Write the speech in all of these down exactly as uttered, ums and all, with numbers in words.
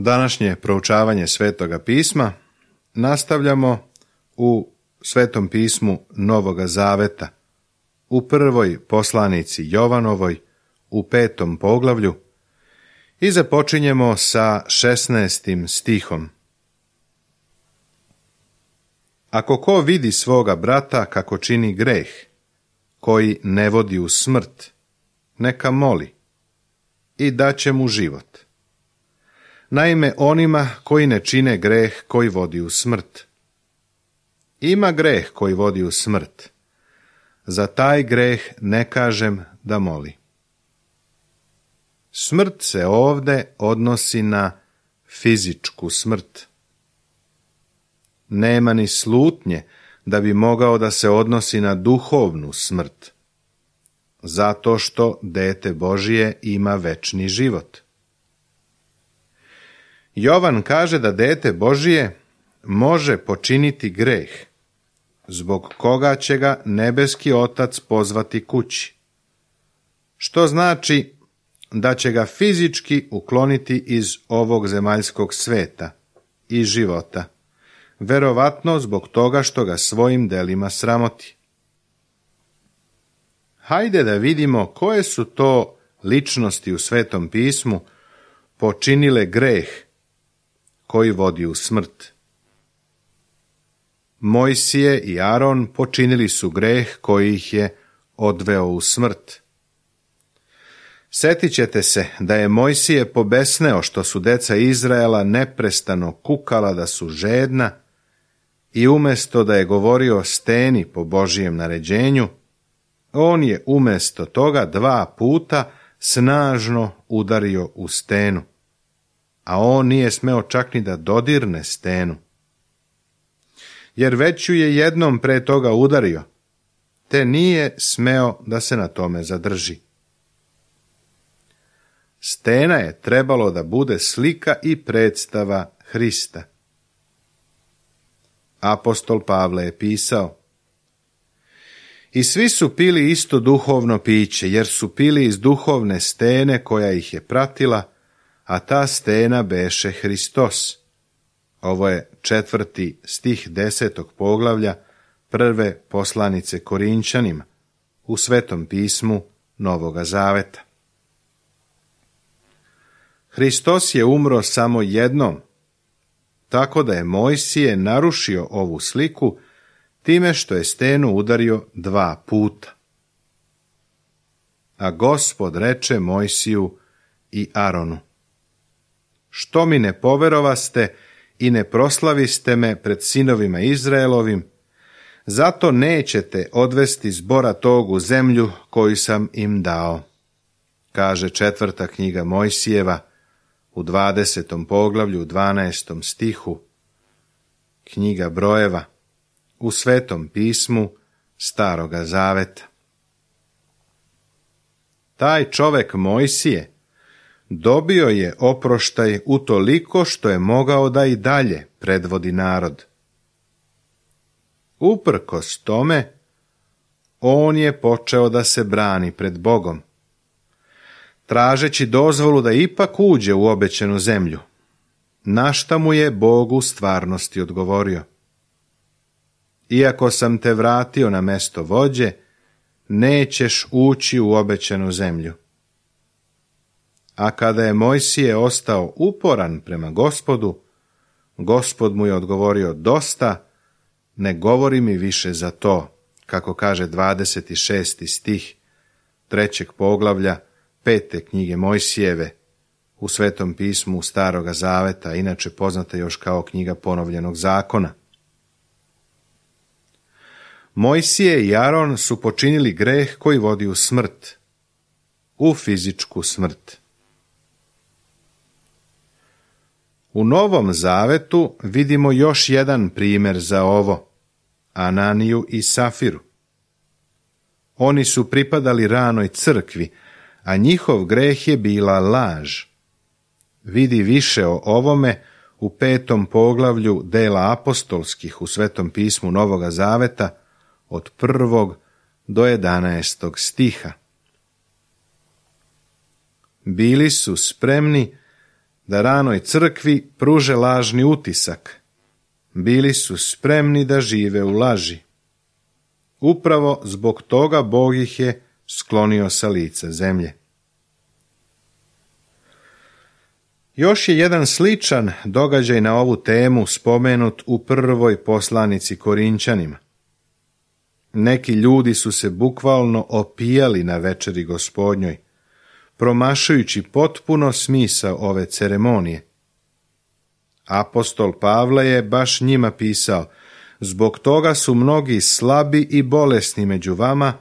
Današnje proučavanje Svetoga pisma nastavljamo u Svetom pismu Novoga Zaveta, u prvoj poslanici Jovanovoj, u petom poglavlju, i započinjemo sa šesnaestim stihom. Ako ko vidi svoga brata kako čini greh, koji ne vodi u smrt, neka moli i daće mu život. Naime, onima koji ne čine greh koji vodi u smrt. Ima greh koji vodi u smrt. Za taj greh ne kažem da moli. Smrt se ovde odnosi na fizičku smrt. Nema ni slutnje da bi mogao da se odnosi na duhovnu smrt, zato što dete Božije ima večni život. Jovan kaže da dete Božije može počiniti greh, zbog koga će ga nebeski Otac pozvati kući, što znači da će ga fizički ukloniti iz ovog zemaljskog sveta i života, verovatno zbog toga što ga svojim delima sramoti. Hajde da vidimo koje su to ličnosti u Svetom pismu počinile greh koji vodi u smrt. Mojsije i Aron počinili su greh koji ih je odveo u smrt. Setit ćete se da je Mojsije pobesneo što su deca Izraela neprestano kukala da su žedna i umjesto da je govorio steni po Božijem naređenju, on je umjesto toga dva puta snažno udario u stenu, a on nije smeo čak ni da dodirne stenu. Jer već ju je jednom pre toga udario, te nije smeo da se na tome zadrži. Stena je trebalo da bude slika i predstava Hrista. Apostol Pavle je pisao: I svi su pili isto duhovno piće, jer su pili iz duhovne stene koja ih je pratila, a ta stena beše Hristos. Ovo je četvrti stih desetog poglavlja prve poslanice Korinčanima u Svetom pismu Novoga Zaveta. Hristos je umro samo jednom, tako da je Mojsije narušio ovu sliku time što je stenu udario dva puta. A Gospod reče Mojsiju i Aronu: Što mi ne poverovaste i ne proslaviste me pred sinovima Izraelovim, zato nećete odvesti zbora tog u zemlju koju sam im dao. Kaže četvrta knjiga Mojsijeva u dvadesetom poglavlju, u dvanaestom stihu, knjiga Brojeva, u Svetom pismu Staroga Zaveta. Taj čovek Mojsije dobio je oproštaj utoliko što je mogao da i dalje predvodi narod. Uprkos tome, on je počeo da se brani pred Bogom, tražeći dozvolu da ipak uđe u obećanu zemlju, na šta mu je Bog u stvarnosti odgovorio: Iako sam te vratio na mesto vođe, nećeš ući u obećanu zemlju. A kada je Mojsije ostao uporan prema Gospodu, Gospod mu je odgovorio: Dosta, ne govori mi više za to, kako kaže dvadeset šesti stih trećeg poglavlja pete knjige Mojsijeve u Svetom pismu Staroga Zaveta, inače poznata još kao knjiga Ponovljenog zakona. Mojsije i Aron su počinili greh koji vodi u smrt, u fizičku smrt. U Novom Zavetu vidimo još jedan primjer za ovo, Ananiju i Safiru. Oni su pripadali ranoj crkvi, a njihov greh je bila laž. Vidi više o ovome u petom poglavlju dela apostolskih u Svetom pismu Novoga Zaveta od prvog do jedanaestog stiha. Bili su spremni da ranoj crkvi pruže lažni utisak. Bili su spremni da žive u laži. Upravo zbog toga Bog ih je sklonio sa lica zemlje. Još je jedan sličan događaj na ovu temu spomenut u prvoj poslanici Korinćanima. Neki ljudi su se bukvalno opijali na večeri Gospodnjoj, promašujući potpuno smisao ove ceremonije. Apostol Pavle je baš njima pisao: zbog toga su mnogi slabi i bolesni među vama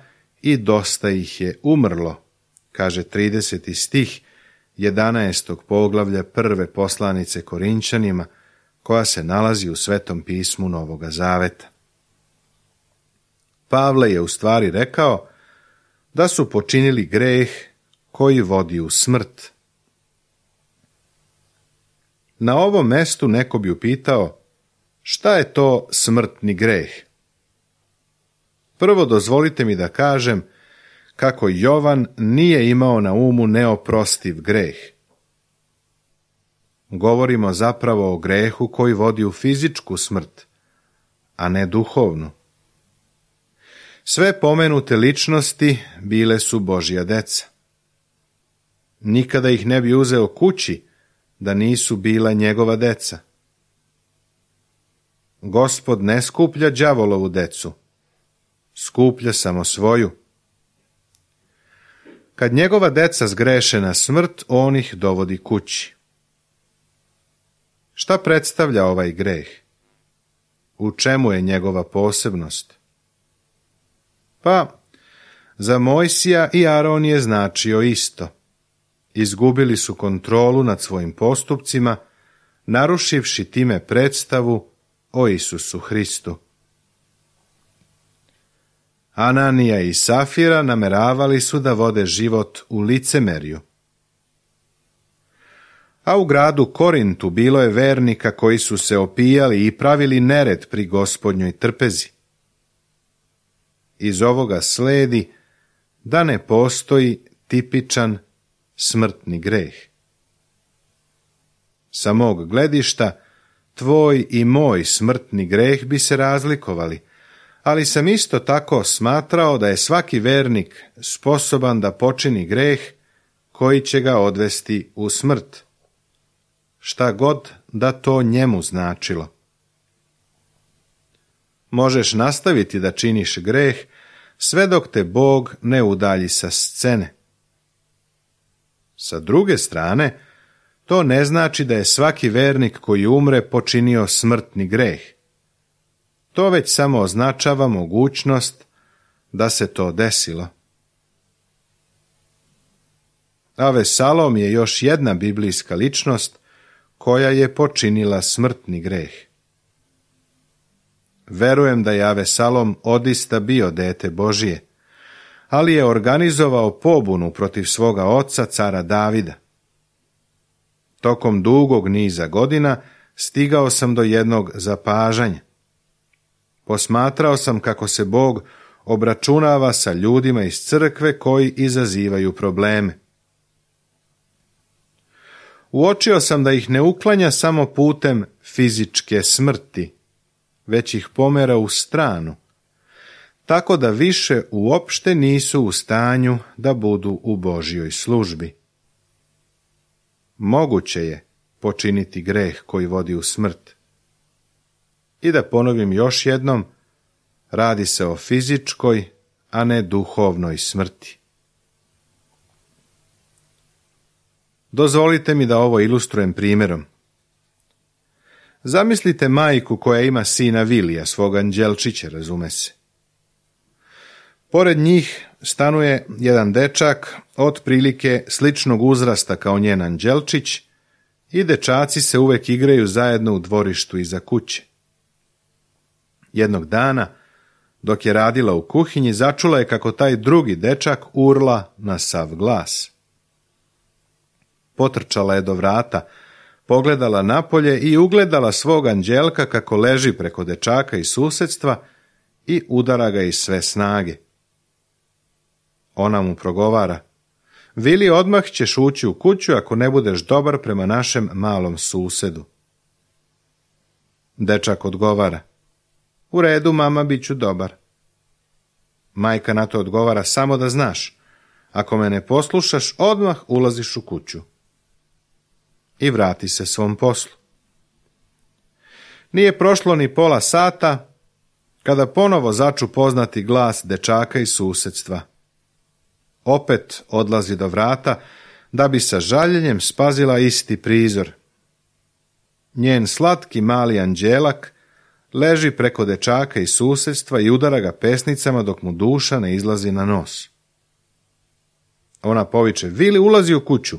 i dosta ih je umrlo, kaže trideseti stih jedanaestog poglavlja prve poslanice Korinćanima, koja se nalazi u Svetom pismu Novoga Zaveta. Pavle je u stvari rekao da su počinili greh koji vodi u smrt. Na ovom mestu neko bi upitao: šta je to smrtni greh? Prvo dozvolite mi da kažem kako Jovan nije imao na umu neoprostiv greh. Govorimo zapravo o grehu koji vodi u fizičku smrt, a ne duhovnu. Sve pomenute ličnosti bile su Božja deca. Nikada ih ne bi uzeo kući da nisu bila njegova deca. Gospod ne skuplja đavolovu decu, skuplja samo svoju. Kad njegova deca zgreše na smrt, on ih dovodi kući. Šta predstavlja ovaj greh? U čemu je njegova posebnost? Pa, za Mojsija i Aron je značio isto. Izgubili su kontrolu nad svojim postupcima, narušivši time predstavu o Isusu Hristu. Ananija i Safira nameravali su da vode život u licemerju. A u gradu Korintu bilo je vernika koji su se opijali i pravili nered pri Gospodnjoj trpezi. Iz ovoga sledi da ne postoji tipičan smrtni greh. Sa mog gledišta, tvoj i moj smrtni greh bi se razlikovali, ali sam isto tako smatrao da je svaki vernik sposoban da počini greh koji će ga odvesti u smrt, šta god da to njemu značilo. Možeš nastaviti da činiš greh sve dok te Bog ne udalji sa scene. Sa druge strane, to ne znači da je svaki vernik koji umre počinio smrtni greh. To već samo označava mogućnost da se to desilo. Avesalom je još jedna biblijska ličnost koja je počinila smrtni greh. Verujem da je Avesalom odista bio dete Božije, ali je organizovao pobunu protiv svoga oca, cara Davida. Tokom dugog niza godina stigao sam do jednog zapažanja. Posmatrao sam kako se Bog obračunava sa ljudima iz crkve koji izazivaju probleme. Uočio sam da ih ne uklanja samo putem fizičke smrti, već ih pomera u stranu, tako da više uopšte nisu u stanju da budu u Božjoj službi. Moguće je počiniti greh koji vodi u smrt. I da ponovim još jednom, radi se o fizičkoj, a ne duhovnoj smrti. Dozvolite mi da ovo ilustrujem primjerom. Zamislite majku koja ima sina Vilija, svog anđelčića, razume se. Pored njih stanuje jedan dečak otprilike sličnog uzrasta kao njen anđelčić i dečaci se uvek igraju zajedno u dvorištu iza kuće. Jednog dana, dok je radila u kuhinji, začula je kako taj drugi dečak urla na sav glas. Potrčala je do vrata, pogledala napolje i ugledala svog anđelka kako leži preko dečaka iz susedstva i udara ga iz sve snage. Ona mu progovara: Vili, odmah ćeš ući u kuću ako ne budeš dobar prema našem malom susedu. Dečak odgovara: U redu, mama, bit ću dobar. Majka na to odgovara: Samo da znaš, ako me ne poslušaš, odmah ulaziš u kuću. I vrati se svom poslu. Nije prošlo ni pola sata, kada ponovo začu poznati glas dečaka iz susedstva. Opet odlazi do vrata, da bi sa žaljenjem spazila isti prizor. Njen slatki mali anđelak leži preko dečaka iz susedstva i udara ga pesnicama dok mu duša ne izlazi na nos. Ona poviče: Vili, ulazi u kuću.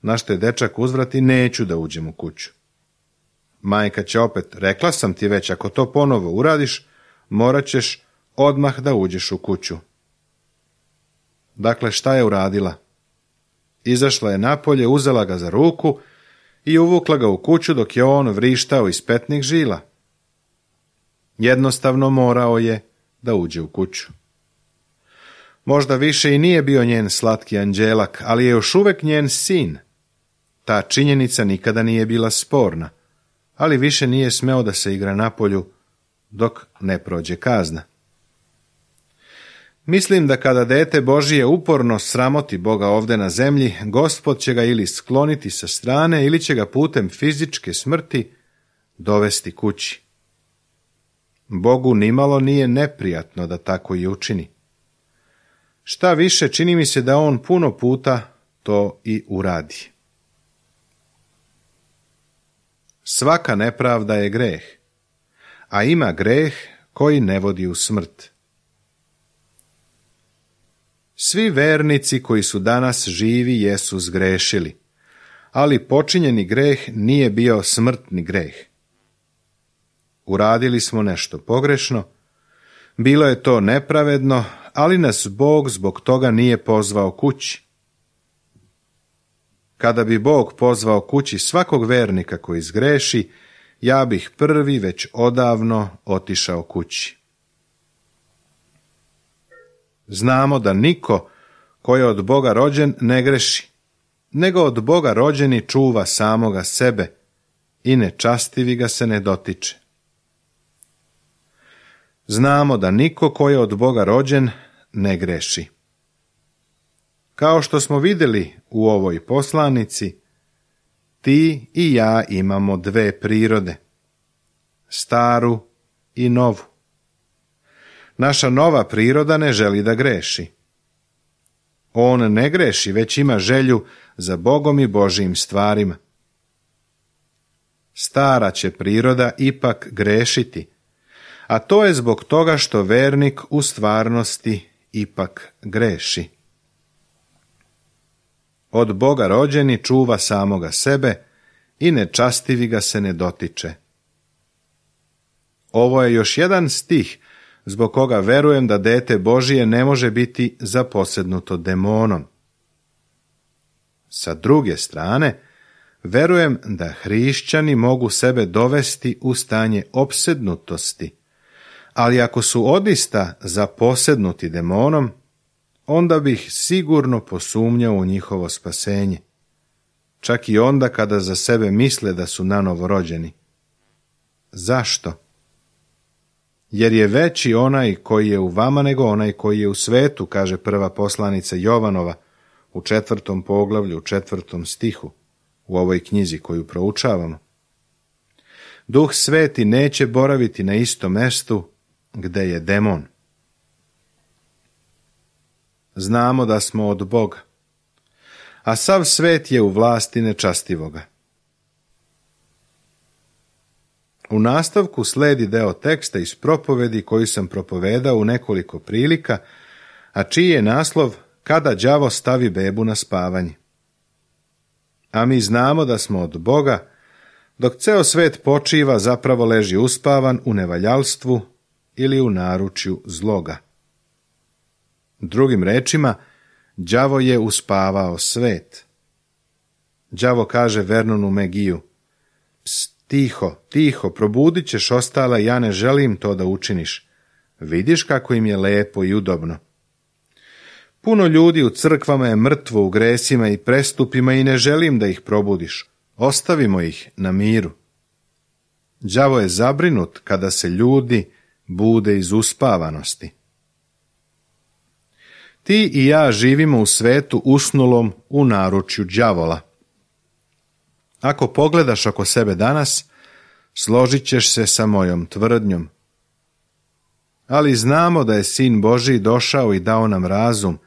Na što je dečak uzvrati: Neću da uđem u kuću. Majka će opet: Rekla sam ti već, ako to ponovo uradiš, morat ćeš odmah da uđeš u kuću. Dakle, šta je uradila? Izašla je napolje, uzela ga za ruku i uvukla ga u kuću dok je on vrištao iz petnih žila. Jednostavno morao je da uđe u kuću. Možda više i nije bio njen slatki anđelak, ali je još uvek njen sin. Ta činjenica nikada nije bila sporna, ali više nije smeo da se igra napolju dok ne prođe kazna. Mislim da kada dete Božije uporno sramoti Boga ovde na zemlji, Gospod će ga ili skloniti sa strane ili će ga putem fizičke smrti dovesti kući. Bogu nimalo nije neprijatno da tako i učini. Šta više, čini mi se da on puno puta to i uradi. Svaka nepravda je greh, a ima greh koji ne vodi u smrt. Svi vernici koji su danas živi jesu zgrešili, ali počinjeni greh nije bio smrtni greh. Uradili smo nešto pogrešno, bilo je to nepravedno, ali nas Bog zbog toga nije pozvao kući. Kada bi Bog pozvao kući svakog vernika koji zgreši, ja bih prvi već odavno otišao kući. Znamo da niko ko je od Boga rođen ne greši, nego od Boga rođeni čuva samoga sebe i nečastivi ga se ne dotiče. Znamo da niko ko je od Boga rođen ne greši. Kao što smo vidjeli u ovoj poslanici, ti i ja imamo dve prirode, staru i novu. Naša nova priroda ne želi da greši. On ne greši, već ima želju za Bogom i Božijim stvarima. Stara će priroda ipak grešiti, a to je zbog toga što vernik u stvarnosti ipak greši. Od Boga rođeni čuva samoga sebe i nečastivi ga se ne dotiče. Ovo je još jedan stih zbog koga verujem da dete Božije ne može biti zaposednuto demonom. Sa druge strane, verujem da hrišćani mogu sebe dovesti u stanje opsednutosti, ali ako su odista zaposednuti demonom, onda bih sigurno posumnjao u njihovo spasenje, čak i onda kada za sebe misle da su nanovo rođeni. Zašto? Jer je veći onaj koji je u vama nego onaj koji je u svetu, kaže prva poslanica Jovanova u četvrtom poglavlju, u četvrtom stihu, u ovoj knjizi koju proučavamo. Duh Sveti neće boraviti na istom mestu gde je demon. Znamo da smo od Boga, a sav svet je u vlasti nečastivoga. U nastavku sledi deo teksta iz propovedi koju sam propovedao u nekoliko prilika, a čiji je naslov Kada đavo stavi bebu na spavanje. A mi znamo da smo od Boga, dok ceo svet počiva, zapravo leži uspavan u nevaljalstvu ili u naručju zloga. Drugim rečima, đavo je uspavao svet. Đavo kaže Vernonu Megiju: Pst, tiho, tiho, probudit ćeš ostala, ja ne želim to da učiniš. Vidiš kako im je lepo i udobno. Puno ljudi u crkvama je mrtvo u gresima i prestupima i ne želim da ih probudiš. Ostavimo ih na miru. Đavo je zabrinut kada se ljudi bude iz uspavanosti. Ti i ja živimo u svetu usnulom u naručju đavola. Ako pogledaš oko sebe danas, složit ćeš se sa mojom tvrdnjom. Ali znamo da je Sin Božji došao i dao nam razum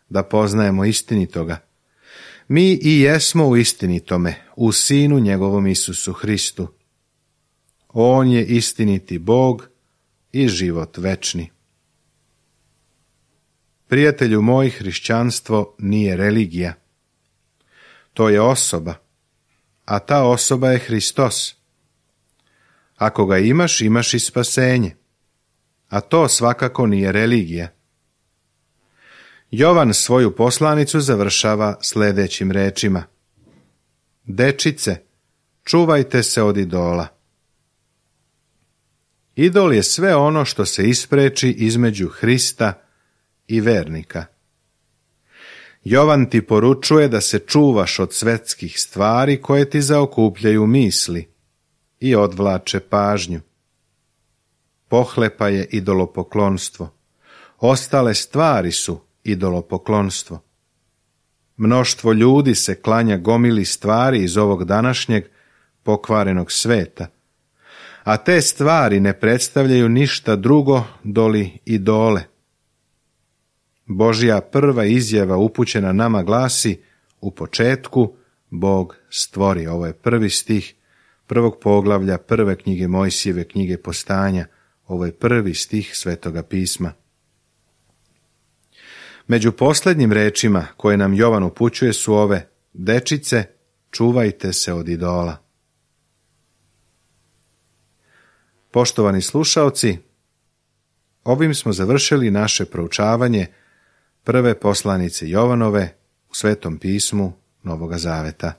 da poznajemo istinitoga. Mi i jesmo u istinitome, u Sinu njegovom Isusu Hristu. On je istiniti Bog i život večni. Prijatelju moj, hrišćanstvo nije religija. To je osoba, a ta osoba je Hristos. Ako ga imaš, imaš i spasenje, a to svakako nije religija. Jovan svoju poslanicu završava sljedećim rečima: Dečice, čuvajte se od idola. Idol je sve ono što se ispreči između Hrista i vernika. Jovan ti poručuje da se čuvaš od svetskih stvari koje ti zaokupljaju misli i odvlače pažnju. Pohlepa je idolopoklonstvo. Ostale stvari su idolopoklonstvo. Mnoštvo ljudi se klanja gomili stvari iz ovog današnjeg pokvarenog sveta, a te stvari ne predstavljaju ništa drugo doli idole. Božja prva izjava upućena nama glasi: u početku Bog stvori. Ovo je prvi stih prvog poglavlja prve knjige Mojsijeve knjige Postanja. Ovo je prvi stih Svetoga pisma. Među posljednjim rečima koje nam Jovan upućuje su ove: Dečice, čuvajte se od idola. Poštovani slušaoci, ovim smo završili naše proučavanje prve poslanice Jovanove u Svetom pismu Novoga Zaveta.